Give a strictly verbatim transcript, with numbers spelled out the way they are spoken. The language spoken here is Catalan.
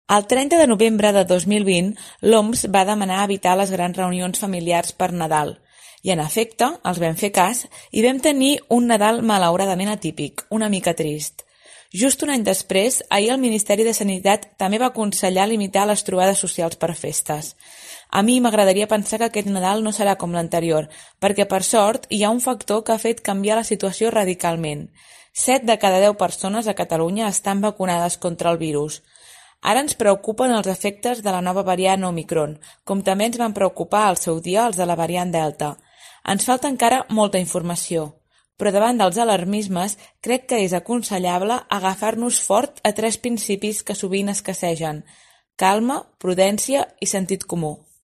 El trenta de novembre de dos mil vint, l'O M S va demanar evitar les grans reunions familiars per Nadal. I, en efecte, els vam fer cas i vam tenir un Nadal malauradament atípic, una mica trist. Just un any després, ahir el Ministeri de Sanitat també va aconsellar limitar les trobades socials per festes. A mi m'agradaria pensar que aquest Nadal no serà com l'anterior, perquè, per sort, hi ha un factor que ha fet canviar la situació radicalment. Set de cada deu persones a Catalunya estan vacunades contra el virus. Ara ens preocupen els efectes de la nova variant Omicron, com també ens van preocupar al seu dia els de la variant Delta. Ens falta encara molta informació, però davant dels alarmismes crec que és aconsellable agafar-nos fort a tres principis que sovint escassegen: calma, prudència i sentit comú.